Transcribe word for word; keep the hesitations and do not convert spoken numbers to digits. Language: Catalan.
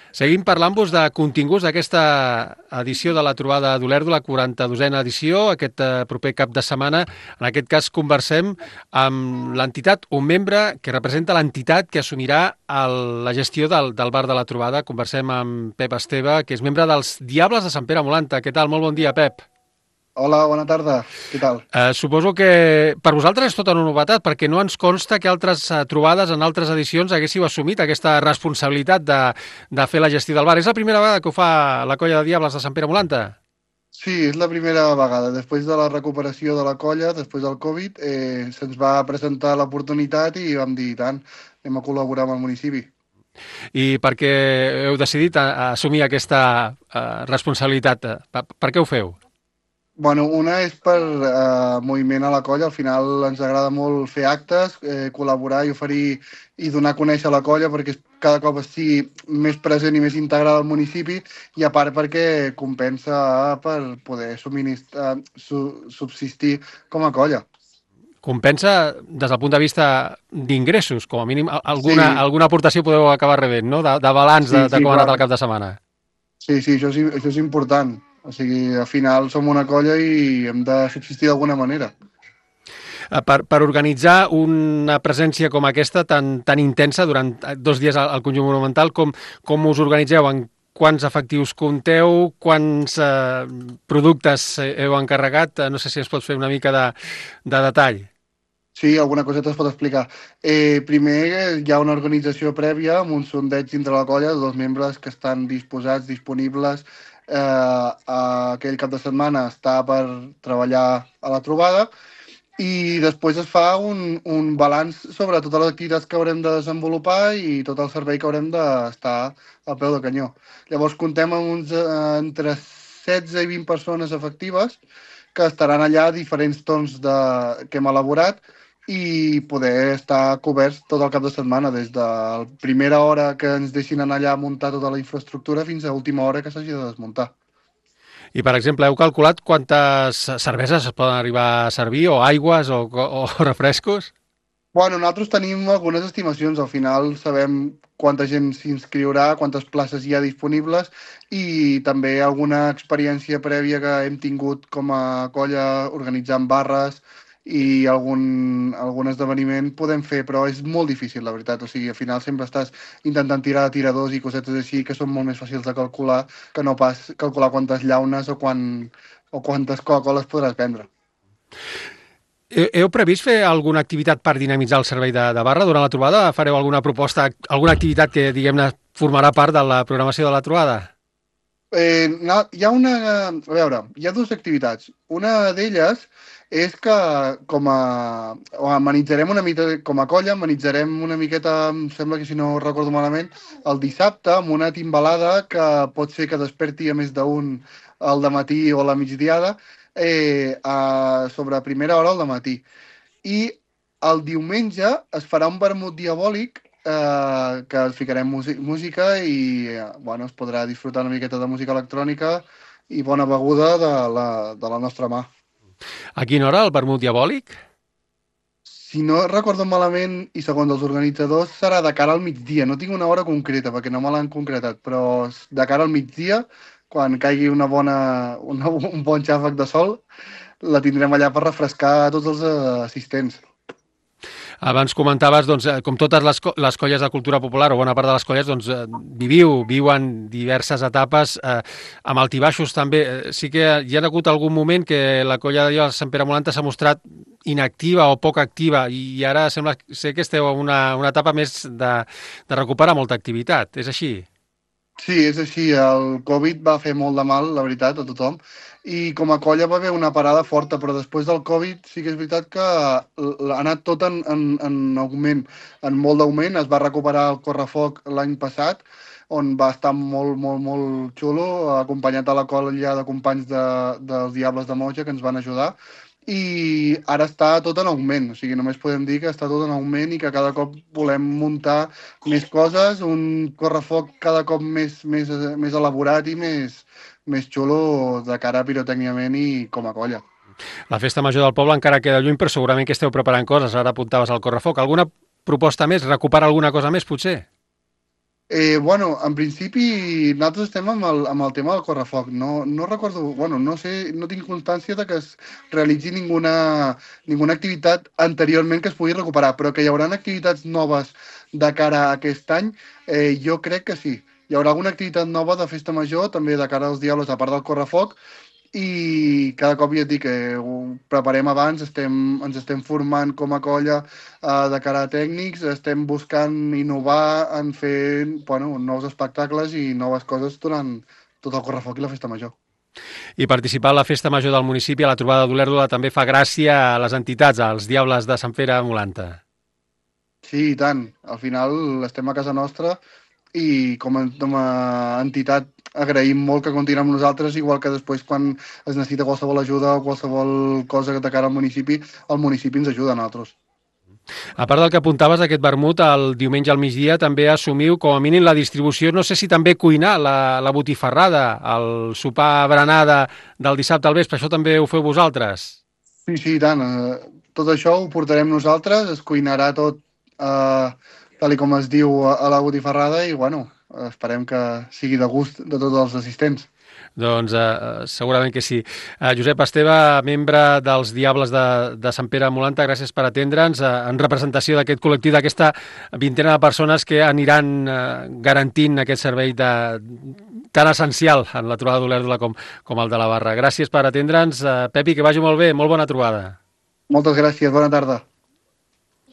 Seguim parlant-vos de continguts d'aquesta edició de la trobada d'Olèrdola, la quaranta-dosena edició, aquest eh, proper cap de setmana. En aquest cas conversem amb l'entitat, un membre que representa l'entitat que assumirà el, la gestió del, del bar de la trobada. Conversem amb Pep Esteve, que és membre dels Diables de Sant Pere Molanta. Què tal? Molt bon dia, Pep. Hola, bona tarda. Què tal? Eh, suposo que per vosaltres és tota una novetat, perquè no ens consta que altres eh, trobades en altres edicions haguéssiu assumit aquesta responsabilitat de, de fer la gestió del bar. És la primera vegada que ho fa la colla de Diables de Sant Pere Molanta? Sí, és la primera vegada. Després de la recuperació de la colla, després del Covid, eh, se'ns va presentar l'oportunitat i vam dir, tant, anem a col·laborar amb el municipi. I per què heu decidit a, a assumir aquesta eh, responsabilitat? Per, per què ho feu? Bueno, una és per eh, moviment a la colla. Al final ens agrada molt fer actes, eh, col·laborar i oferir i donar a conèixer la colla perquè cada cop estigui més present i més integrada al municipi, i a part perquè compensa per poder subministrar, su, subsistir com a colla. Compensa des del punt de vista d'ingressos, com a mínim alguna, Sí, alguna aportació podeu acabar rebent, no? De, de balanç de, sí, de sí, com ha anat clar. el cap de setmana. Sí, sí, això és, això és important. O sigui, al final som una colla i hem de subsistir d'alguna manera. Eh, Per, per organitzar una presència com aquesta tan, tan intensa durant dos dies al, al conjunt monumental, com, com us organitzeu? En quants efectius compteu? Quants eh, productes heu encarregat? Eh, no sé si ens pots fer una mica de, de detall. Sí, alguna coseta es pot explicar. Eh, primer, eh, hi ha una organització prèvia amb un sondeig dintre la colla de dos membres que estan disposats, disponibles. Eh, a aquell cap de setmana està per treballar a la trobada, i després es fa un, un balanç sobre totes les activitats que haurem de desenvolupar i tot el servei que haurem d'estar al peu del canyó. Llavors comptem amb uns eh, entre setze i vint persones efectives que estaran allà a diferents torns de, que hem elaborat, i poder estar coberts tot el cap de setmana, des de la primera hora que ens deixin anar allà a muntar tota la infraestructura fins a última hora que s'hagi de desmuntar. I, per exemple, heu calculat quantes cerveses es poden arribar a servir, o aigües, o, o refrescos? Bueno, nosaltres tenim algunes estimacions. Al final sabem quanta gent s'inscriurà, quantes places hi ha disponibles, i també alguna experiència prèvia que hem tingut com a colla organitzant barres i algun, algun esdeveniment podem fer, però és molt difícil, la veritat. O sigui, al final sempre estàs intentant tirar de tiradors i cosetes així que són molt més fàcils de calcular que no pas calcular quantes llaunes o, quan, o quantes Coca-Coles podràs vendre. Heu previst fer alguna activitat per dinamitzar el servei de, de barra durant la trobada? Fareu alguna proposta, alguna activitat que, diguem-ne, formarà part de la programació de la trobada? Eh, no, hi ha una... A veure, hi ha dues activitats. Una d'elles és que com a... o amenitzarem una mica, com a colla, amenitzarem una miqueta, em sembla que si no recordo malament, el dissabte amb una timbalada que pot ser que desperti a més d'un al dematí o a la migdiada, eh, a, sobre primera hora al dematí. I el diumenge es farà un vermut diabòlic, eh, que ficarem música i eh, bueno, es podrà disfrutar una miqueta de música electrònica i bona beguda de la, de la nostra mà. A quina hora, el vermut diabòlic? Si no recordo malament, i segons els organitzadors, serà de cara al migdia. No tinc una hora concreta, perquè no me l'han concretat, però de cara al migdia, quan caigui una bona, una, un bon xàfec de sol, la tindrem allà per refrescar a tots els eh, assistents. Abans comentaves, doncs, eh, com totes les, co les colles de cultura popular, o bona part de les colles, doncs, eh, viviu, viuen diverses etapes, eh, amb altibaixos també. Eh, sí que hi ha hagut algun moment que la colla de Sant Pere Molanta s'ha mostrat inactiva o poc activa, i ara sembla ser que esteu en una, una etapa més de, de recuperar molta activitat. És així? Sí, és així. El Covid va fer molt de mal, la veritat, a tothom. I com a colla va haver una parada forta, però després del Covid sí que és veritat que ha anat tot en, en, en augment, en molt d'augment. Es va recuperar el correfoc l'any passat, on va estar molt, molt, molt xulo, acompanyat a la colla de companys de, dels Diables de Moja que ens van ajudar. I ara està tot en augment, o sigui, només podem dir que està tot en augment i que cada cop volem muntar més coses, un correfoc cada cop més, més, més elaborat i més, més xulo de cara pirotècnicament i com a colla. La festa major del poble encara queda lluny, però segurament que esteu preparant coses. Ara apuntaves al correfoc. Alguna proposta més? Recuperar alguna cosa més, potser? Eh, bueno, en principi nosaltres estem amb el, amb el tema del correfoc. No, no recordo, bueno, no sé, no tinc constància de que es realitzi ninguna, ninguna activitat anteriorment que es pugui recuperar, però que hi haurà activitats noves de cara a aquest any, eh, jo crec que sí. Hi haurà alguna activitat nova de festa major, també de cara als diables, a part del correfoc, i cada cop ja et dic que ho preparem abans, estem, ens estem formant com a colla eh, de cara a tècnics, estem buscant innovar en fer bueno, nous espectacles i noves coses durant tot el correfoc i la festa major. I participar a la festa major del municipi, a la trobada d'Olèrdola, també fa gràcia a les entitats, als diables de Sant Pere Molanta. Sí, i tant. Al final estem a casa nostra i com a, com a entitat agraïm molt que continuem amb nosaltres, igual que després quan es necessita qualsevol ajuda o qualsevol cosa de cara al municipi, el municipi ens ajuda a nosaltres. A part del que apuntaves d'aquest vermut, el diumenge al migdia també assumiu com a mínim la distribució, no sé si també cuinar la, la botifarrada, el sopar berenada del dissabte al vespre, això també ho feu vosaltres? Sí, sí, i tant. Eh, tot això ho portarem nosaltres, es cuinarà tot eh, tal com es diu a, a la botifarrada i, bueno, esperem que sigui de gust de tots els assistents. Doncs eh, segurament que sí. Eh, Josep Esteve, membre dels Diables de, de Sant Pere Molanta, gràcies per atendre'ns eh, en representació d'aquest col·lectiu, d'aquesta vintena de persones que aniran eh, garantint aquest servei de, tan essencial en la trobada d'Olèrdola com, com el de la Barra. Gràcies per atendre'ns. Eh, Pepi, que vagi molt bé, molt bona trobada. Moltes gràcies, bona tarda.